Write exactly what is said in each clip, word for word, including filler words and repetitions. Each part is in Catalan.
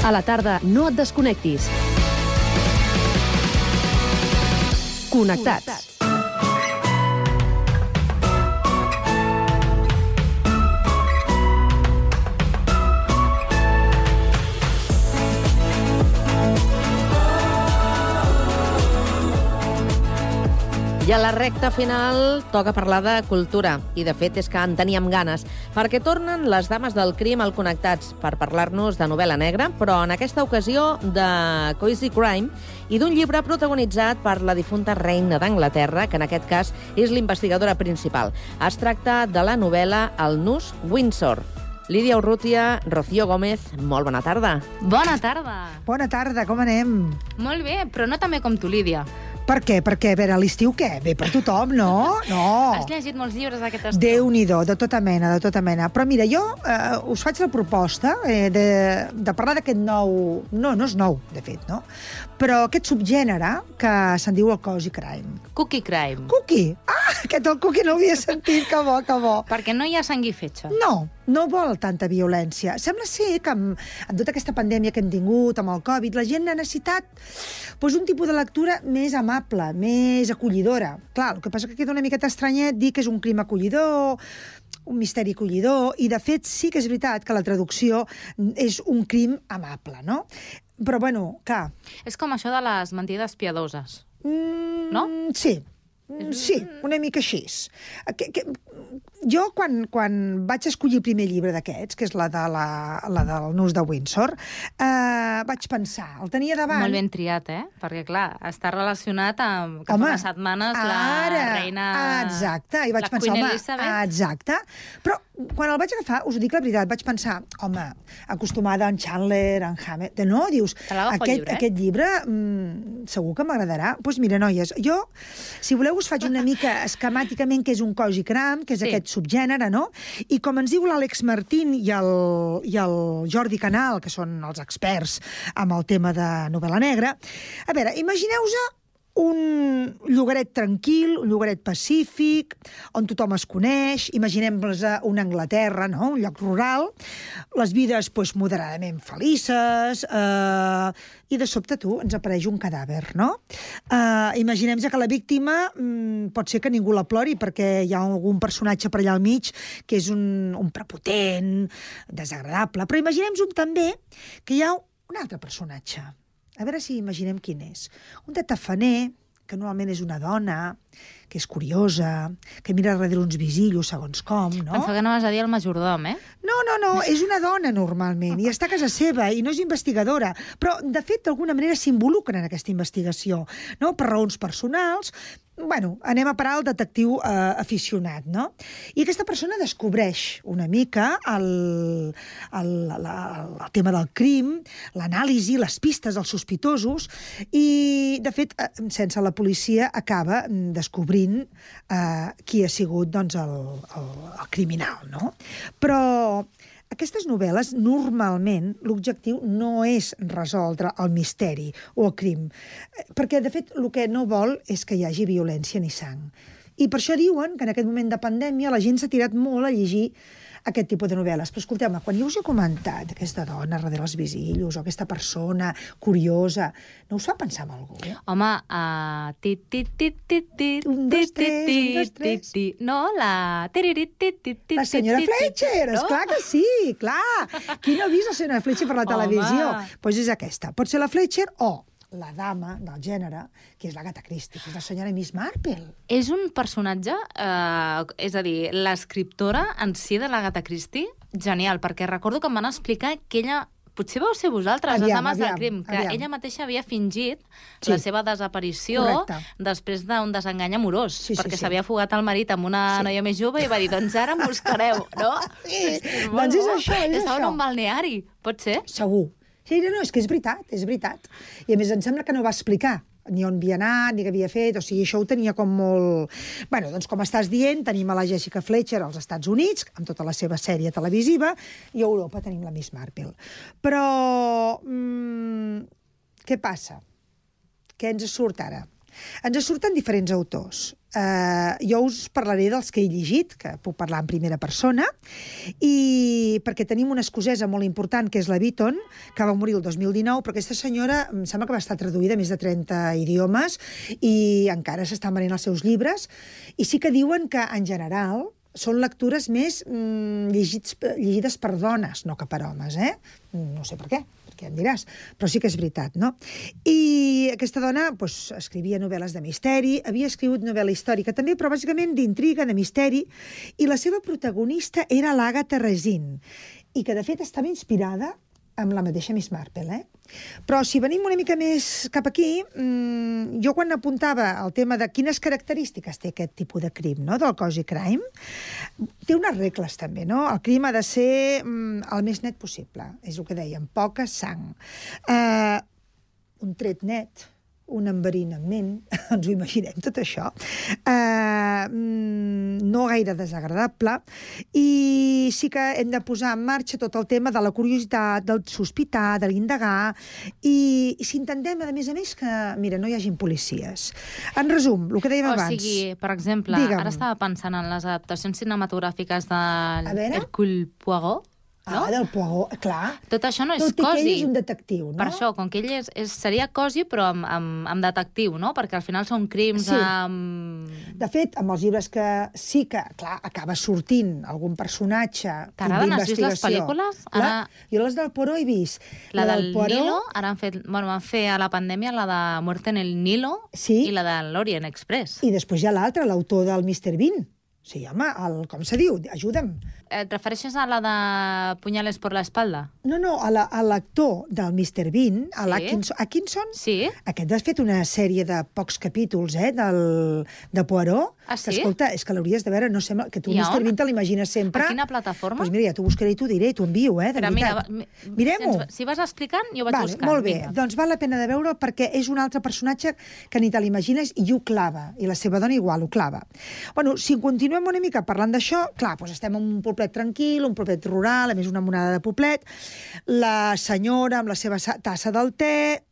A la tarda, no et desconnectis. Connectats. I a la recta final toca parlar de cultura. I, de fet, és que en teníem ganes, perquè tornen les dames del crim al Connectats per parlar-nos de novel·la negra, però en aquesta ocasió de Cozy Crime i d'un llibre protagonitzat per la difunta reina d'Anglaterra, que en aquest cas és l'investigadora principal. Es tracta de la novel·la El nus Windsor. Lídia Urrutia, Rocío Gómez, molt bona tarda. Bona tarda. Bona tarda, com anem? Molt bé, però no tan bé com tu, Lídia. Per què? Perquè, a veure, a l'estiu què? Bé per tothom, no? No. Has llegit molts llibres d'aquest estiu? Déu-n'hi-do, de tota mena, de tota mena. Però mira, jo eh, us faig la proposta eh, de, de parlar d'aquest nou... No, no és nou, de fet, no? Però aquest subgènere que se'n diu el Cozy Crime. Cookie Crime. Cookie? Ah, aquest el cookie no l'havia sentit, que bo, que bo. Perquè no hi ha sang i fetge. No, no vol tanta violència. Sembla ser que amb, amb tota aquesta pandèmia que hem tingut, amb el Covid, la gent ha necessitat doncs, un tipus de lectura més amable, més acollidora. Clar, el que passa que queda una miqueta estranyet dir que és un crim acollidor, un misteri acollidor, i de fet sí que és veritat que la traducció és un crim amable, no? Però, bueno, clar... És com això de les mentides piadoses, mm, no? Sí. Sí, una mica així. Que, que, jo, quan, quan vaig escollir el primer llibre d'aquests, que és la, de la, la del nus de Windsor, eh, vaig pensar, el tenia davant... Molt ben triat, eh? Perquè, clar, està relacionat amb que home, fa unes setmanes la ara, reina... Exacte, i vaig la pensar, Queen home, Elizabeth. exacte. Però quan el vaig agafar, us ho dic la veritat, vaig pensar, home, acostumada a en Chandler, en Hamlet... No, dius, aquest llibre, eh? aquest llibre mm, segur que m'agradarà. Doncs pues mira, noies, jo, si voleu, us faig una mica esquemàticament què és un Cozy Crime, que és Sí. aquest subgènere, no? I com ens diu l'Àlex Martín i el, i el Jordi Canal, que són els experts amb el tema de novel·la negra, a veure, imagineu-vos un llogaret tranquil, un llogaret pacífic, on tothom es coneix, imaginem-nos una Anglaterra, no? Un lloc rural, les vides pues, moderadament felices, eh, i de sobte tu ens apareix un cadàver, no? Eh, imaginem que la víctima mm, pot ser que ningú la plori perquè hi ha algun personatge per allà al mig que és un, un prepotent, desagradable, però imaginem-nos també que hi ha un altre personatge. A veure si imaginem quin és. Un de tafaner, que normalment és una dona, que és curiosa, que mira darrere uns visillos segons com, no? Pensava que no vas a dir el majordom, eh? No, no, no, és una dona normalment, i està a casa seva, i no és investigadora, però, de fet, d'alguna manera s'involucra en aquesta investigació, no? Per raons personals. Bueno, anem a parar al detectiu eh, aficionat, no? I aquesta persona descobreix una mica el, el, la, el tema del crim, l'anàlisi, les pistes dels sospitosos, i, de fet, eh, sense la policia acaba descobrint eh, qui ha sigut doncs, el, el, el criminal, no? Però aquestes novel·les, normalment, l'objectiu no és resoldre el misteri o el crim, perquè, de fet, el que no vol és que hi hagi violència ni sang. I per això diuen que en aquest moment de pandèmia la gent s'ha tirat molt a llegir aquest tipus de novel·les. Però escolteu-me, quan jo us he comentat aquesta dona darrere els visillos o aquesta persona curiosa, no us fa pensar en algú? Home, uh, ti, ti, ti, ti, ti, Un, dos, ti, tres, ti, un, dos, ti, tres. ti. No, la... tiriri, ti, ti, ti, La senyora ti, ti, Fletcher, no? esclar que sí, clar. Qui no ha vist la senyora Fletcher per la Home. televisió? Doncs pues és aquesta. Pot ser la Fletcher o la dama del gènere, que és l'Agatha Christie, que és la senyora Miss Marple. És un personatge, eh, és a dir, l'escriptora en si de l'Agatha Christie, genial, perquè recordo que em van explicar que ella, potser vau ser vosaltres, Aviam, les dames del aviam, crim, que aviam. ella mateixa havia fingit Sí. la seva desaparició Correcte. després d'un desengany amorós, Sí, sí, perquè sí. s'havia fugat al marit amb una Sí. noia més jove i va dir, doncs ara em buscareu, no? Sí, molt doncs és bo. això, és Estava això. en un balneari, pot ser? Segur. Sí, no, no, és que és veritat, és veritat. I a més em sembla que no va explicar ni on havia anat, ni què havia fet, o sigui, això ho tenia com molt... Bueno, doncs com estàs dient, tenim a la Jessica Fletcher als Estats Units, amb tota la seva sèrie televisiva, i a Europa tenim la Miss Marple. Però, mmm, què passa? Què ens surt ara? Ens surten diferents autors. Uh, jo us parlaré dels que he llegit, que puc parlar en primera persona, i perquè tenim una escocesa molt important, que és la Beaton, que va morir el dos mil dinou, però aquesta senyora em sembla que va estar traduïda a més de trenta idiomes i encara s'estan venent els seus llibres, i sí que diuen que, en general, són lectures més mm, llegits, llegides per dones, no que per homes, eh? No sé per què, perquè em diràs, però sí que és veritat, no? I aquesta dona doncs, escrivia novel·les de misteri, havia escrit novel·la històrica també, però bàsicament d'intriga, de misteri, i la seva protagonista era l'Àgata Raisin, i que de fet estava inspirada amb la mateixa Miss Marple, eh? Però si venim una mica més cap aquí, mmm, jo quan apuntava el tema de quines característiques té aquest tipus de crim, no?, del cozy crime, té unes regles també, no? El crim ha de ser mm, el més net possible, és el que dèiem, poca sang. Uh, un tret net, un enverinament, ens ho imaginem tot això, uh, no gaire desagradable, i sí que hem de posar en marxa tot el tema de la curiositat, del sospitar, de l'indagar, i, i si intentem, a més a més, que, mira, no hi hagin policies. En resum, el que dèiem o abans... O sigui, per exemple, Digue'm. Ara estava pensant en les adaptacions cinematogràfiques de veure? Hercule Poirot, no? Ah, del Poirot, clar. Tot això no és Tot i que cosi. ell és un detectiu, no? Per això, com que ell és, és, seria cosi, però amb, amb, amb detectiu, no? Perquè al final són crims Sí. amb... De fet, amb els llibres que sí que, clar, acaba sortint algun personatge T'agraden? Has vist les d'investigació. pel·lícules? Clar, Ara- jo les del Poirot he vist. La, del Poirot, Nilo, ara han fet, bueno, van fer a la pandèmia la de Muerte en el Nilo Sí. i la de l'Orient Express. I després hi ha l'altre, l'autor del mister Bean. Sí, home, el, com se diu? Ajuda'm. Et refereixes a la de Punyales por la espalda? No, no, a la- a l'actor del mister Bean, a Sí. l'Atkinson. Atkinson? Sí. Aquest ha fet una sèrie de pocs capítols, eh, del, de Poirot. Ah, Que, sí? escolta, és que l'hauries de veure, no sembla... Que tu I mister on? Bean te l'imagines sempre... A quina plataforma? Doncs mira, ja t'ho buscaré i t'ho diré, t'ho envio, eh, de Però mira, veritat. va- mi- Mirem-ho. si ens- Si vas explicant, jo vaig Vale, buscant. molt bé, Vinga. doncs val la pena de veure'l perquè és un altre personatge que ni te l'imagines i ho clava, i la seva dona igual ho clava. Bueno, si continuem una mica parlant d'això, clar, doncs estem en un poblet tranquil, un poblet rural, a més una monada de poblet, la senyora amb la seva sa- tassa del te,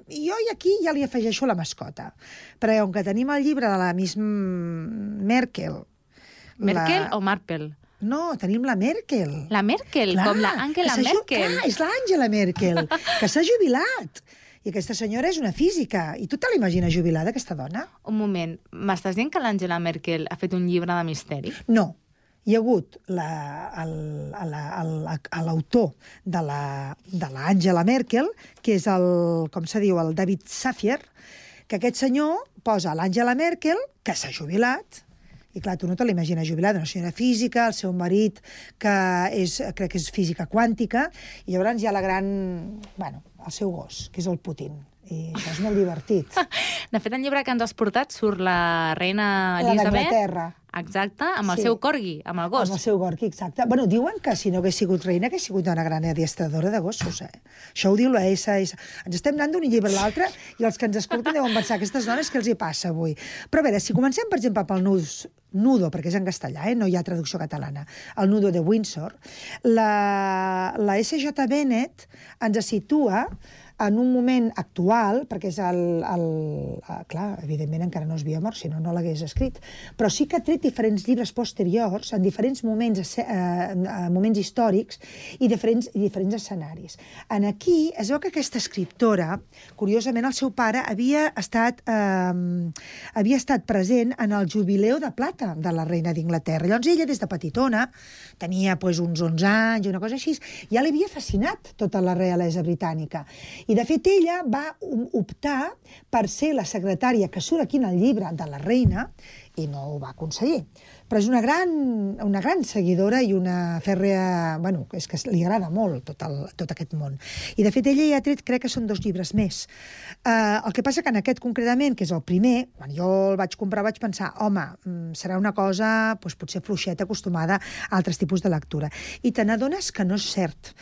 i jo i aquí ja li afegeixo la mascota, perquè com que tenim el llibre de la Miss Merkel... Merkel la... o Marple? No, tenim la Merkel. La Merkel, Clar, com la Angela que s'ha ju- Merkel. Clar, és l'Àngela Merkel, que s'ha jubilat. I aquesta senyora és una física. I tu te l'imagines jubilada, aquesta dona? Un moment, m'estàs dient que l'Angela Merkel ha fet un llibre de misteri? No. Hi ha hagut la- el- la- el- l'autor de la- de l'Àngela Merkel, que és el, com se diu, el David Safier, que aquest senyor posa l'Àngela Merkel, que s'ha jubilat, i clar, tu no te l'imagines jubilada, una senyora física, el seu marit, que és, crec que és física quàntica, i llavors hi ha la gran... Bueno, el seu gos, que és el Putin. I això és molt divertit. De fet, el llibre que ens has portat surt la reina La Elisabet... d'Anglaterra. Exacte, amb el Sí. seu corgi, amb el gos. Amb el seu gorqui, exacte. Bueno, diuen que si no hagués sigut reina, hagués sigut una gran adiestradora de gossos, eh? Això ho diu la S S. Ens estem anant d'un llibre a l'altre i els que ens escolten deuen pensar aquestes dones què els hi passa avui. Però a veure, si comencem, per exemple, pel nus, nudo, perquè és en castellà, eh? No hi ha traducció catalana, el nudo de Windsor, la, la S J Bennett ens situa en un moment actual, perquè és el... el, el clar, evidentment encara no es havia mort, si no, no l'hagués escrit, però sí que ha tret diferents llibres posteriors en diferents moments, eh, moments històrics i diferents, i diferents escenaris. En aquí es veu que aquesta escriptora, curiosament, el seu pare havia estat, eh, havia estat present en el jubileu de plata de la reina d'Inglaterra. Llavors ella, des de petitona, tenia pues, uns onze anys, una cosa així, ja li havia fascinat tota la realesa britànica. I, de fet, ella va optar per ser la secretària que surt aquí en el llibre de la reina i no ho va aconseguir. Però és una gran, una gran seguidora i una fèrrea... Bueno, és que li agrada molt tot, el, tot aquest món. I, de fet, ella ja ha tret, crec que són dos llibres més. Uh, el que passa que en aquest concretament, que és el primer, quan jo el vaig comprar vaig pensar, home, serà una cosa doncs, potser fluixeta, acostumada a altres tipus de lectura. I te n'adones que no és cert.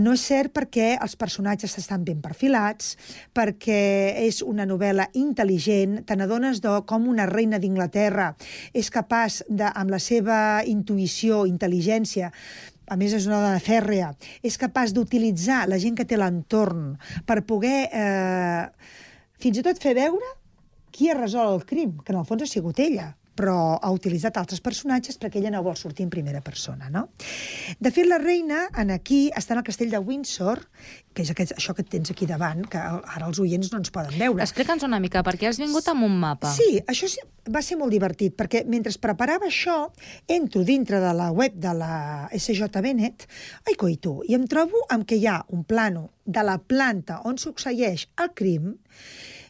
No és cert perquè els personatges estan ben perfilats, perquè és una novel·la intel·ligent, te n'adones de com una reina d'Inglaterra és capaç de de, amb la seva intuïció, intel·ligència, a més és una dona fèrrea, és capaç d'utilitzar la gent que té l'entorn per poder eh, fins i tot fer veure qui ha resolt el crim, que en el fons ha sigut ella, però ha utilitzat altres personatges perquè ella no vol sortir en primera persona, no? De fet, la reina, en aquí, està en el castell de Windsor, que és aquest, això que tens aquí davant, que ara els oients no ens poden veure. Explica'ns una mica, perquè has vingut amb un mapa. Sí, això va ser molt divertit, perquè mentre preparava això, entro dintre de la web de la S J Bennett, ai, coito, i em trobo amb que hi ha un plano de la planta on succeeix el crim,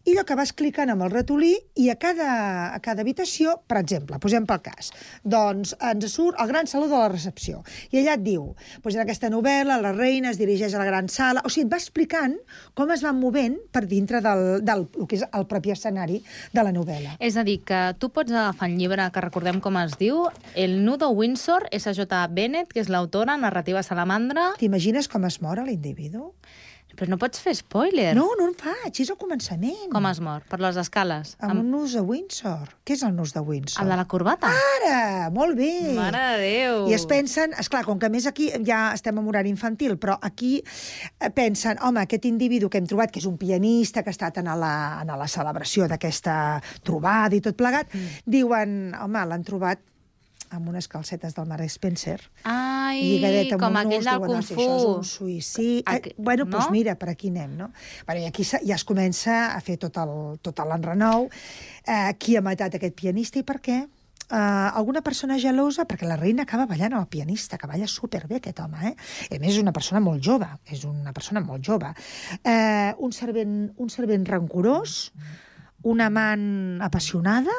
i allò que vas clicant amb el ratolí i a cada, a cada habitació, per exemple, posem pel cas, doncs ens surt el gran saló de la recepció. I allà et diu, doncs en aquesta novel·la la reina es dirigeix a la gran sala, o sigui, et va explicant com es van movent per dintre del, del el que és el propi escenari de la novel·la. És a dir, que tu pots agafar el llibre que recordem com es diu, El nudo Windsor, S J Bennett, que és l'autora, narrativa salamandra. T'imagines com es mor l'individu? Però no pots fer spoiler. No, no en faig, és al començament. Com es mor? Per les escales? Amb, amb un nus de Windsor. Què és el nus de Windsor? El de la corbata? Ara! Molt bé! Mare de Déu! I es pensen, esclar, com que a més aquí ja estem en horari infantil, però aquí pensen, home, aquest individu que hem trobat, que és un pianista, que ha estat en la, en la celebració d'aquesta trobada i tot plegat, mm. diuen, home, l'han trobat amb unes calcetes del Mark Spencer. Ai, com aquell del Kung Fu. Això és un suïcidi. Aqu... Eh, bueno, doncs no? mira, per aquí anem, no? Bueno, i aquí ja es comença a fer tot el, tot l'enrenou. Eh, qui ha matat aquest pianista i per què? Uh, alguna persona gelosa, perquè la reina acaba ballant amb el pianista, que balla superbé aquest home, eh? A més, és una persona molt jove, és una persona molt jove. Uh, un servent, un servent rancorós, una amant apassionada,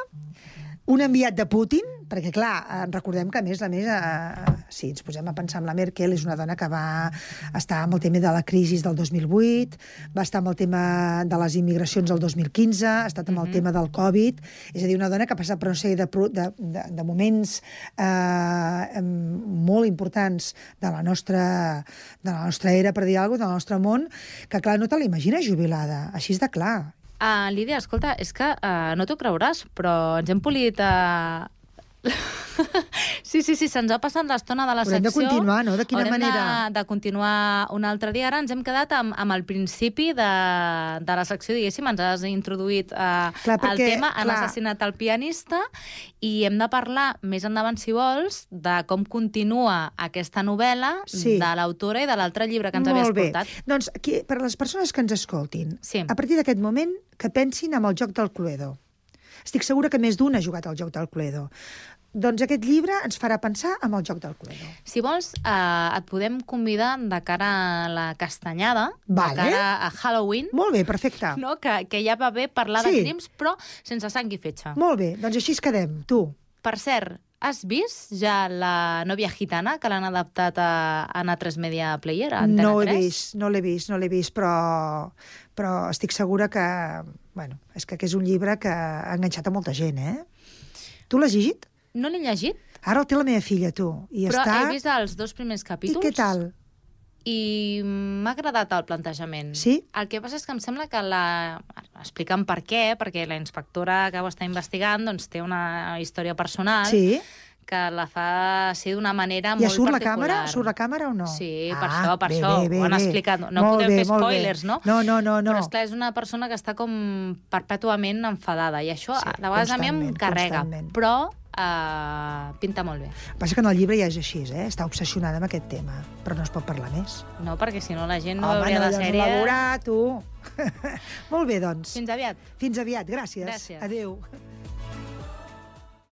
un enviat de Putin, perquè, clar, recordem que, a més, a més, eh, si ens posem a pensar en la Merkel, és una dona que va estar amb el tema de la crisi del dos mil vuit, va estar amb el tema de les immigracions del dos mil quinze, ha estat amb el mm-hmm. tema del Covid, és a dir, una dona que ha passat per una sèrie de, de, de, de moments eh, molt importants de la nostra, de la nostra era, per dir alguna cosa, del nostre món, que, clar, no te l'imagines jubilada, així és de clar. Uh, Lídia, escolta, és que uh, no t'ho creuràs, però ens hem polit... Uh... sí, sí, sí, se'ns ha passat l'estona de la Haurem secció. Haurem de continuar, no? De quina Haurem manera? de, de continuar un altre dia. Ara ens hem quedat amb, amb el principi de, de la secció, diguéssim, ens has introduït uh, clar, perquè, el tema, han clar. assassinat el pianista, i hem de parlar més endavant, si vols, de com continua aquesta novel·la sí. de l'autora i de l'altre llibre que ens Molt havies bé. portat. Doncs, aquí, per a les persones que ens escoltin, sí. a partir d'aquest moment, que pensin en el joc del Cluedo. Estic segura que més d'un ha jugat al joc del Cluedo. Doncs aquest llibre ens farà pensar en el joc del Cluedo. Si vols, eh, et podem convidar de cara a la castanyada, vale. de cara a Halloween. Molt bé, perfecte. No? Que, que ja va bé parlar sí. de crims, però sense sang i fetge. Molt bé, doncs així es quedem, tu. Per cert, has vist ja La novia gitana, que l'han adaptat a, a A tres Media Player, a Antena no tres? He vist, no l'he vist, no l'he vist, però, però estic segura que... Bueno, és que és un llibre que ha enganxat a molta gent, eh? Tu l'has llegit? No l'he llegit. Ara el té la meva filla, tu. I però està... he vist els dos primers capítols. I què tal? I m'ha agradat el plantejament. Sí? El que passa és que em sembla que la... Explica'm per què, perquè la inspectora que ho està investigant doncs, té una història personal sí. que la fa ser d'una manera I molt surt particular. la càmera? Surt la càmera o no? Sí, ah, per això, per bé, això. Bé, bé, ho han bé. explicat. No molt podem bé, fer spoilers, no? No, no, no, no. Però, esclar, és una persona que està com perpètuament enfadada, i això sí, de vegades a mi em carrega. Constantment. Però uh, pinta molt bé. El que passa que en el llibre ja és així, eh? Està obsessionada amb aquest tema, però no es pot parlar més. No, perquè si no la gent no Home, veuria no, la sèrie. Home, no la veurà, tu. Molt bé, doncs. Fins aviat. Fins aviat, gràcies. Gràcies. Adéu.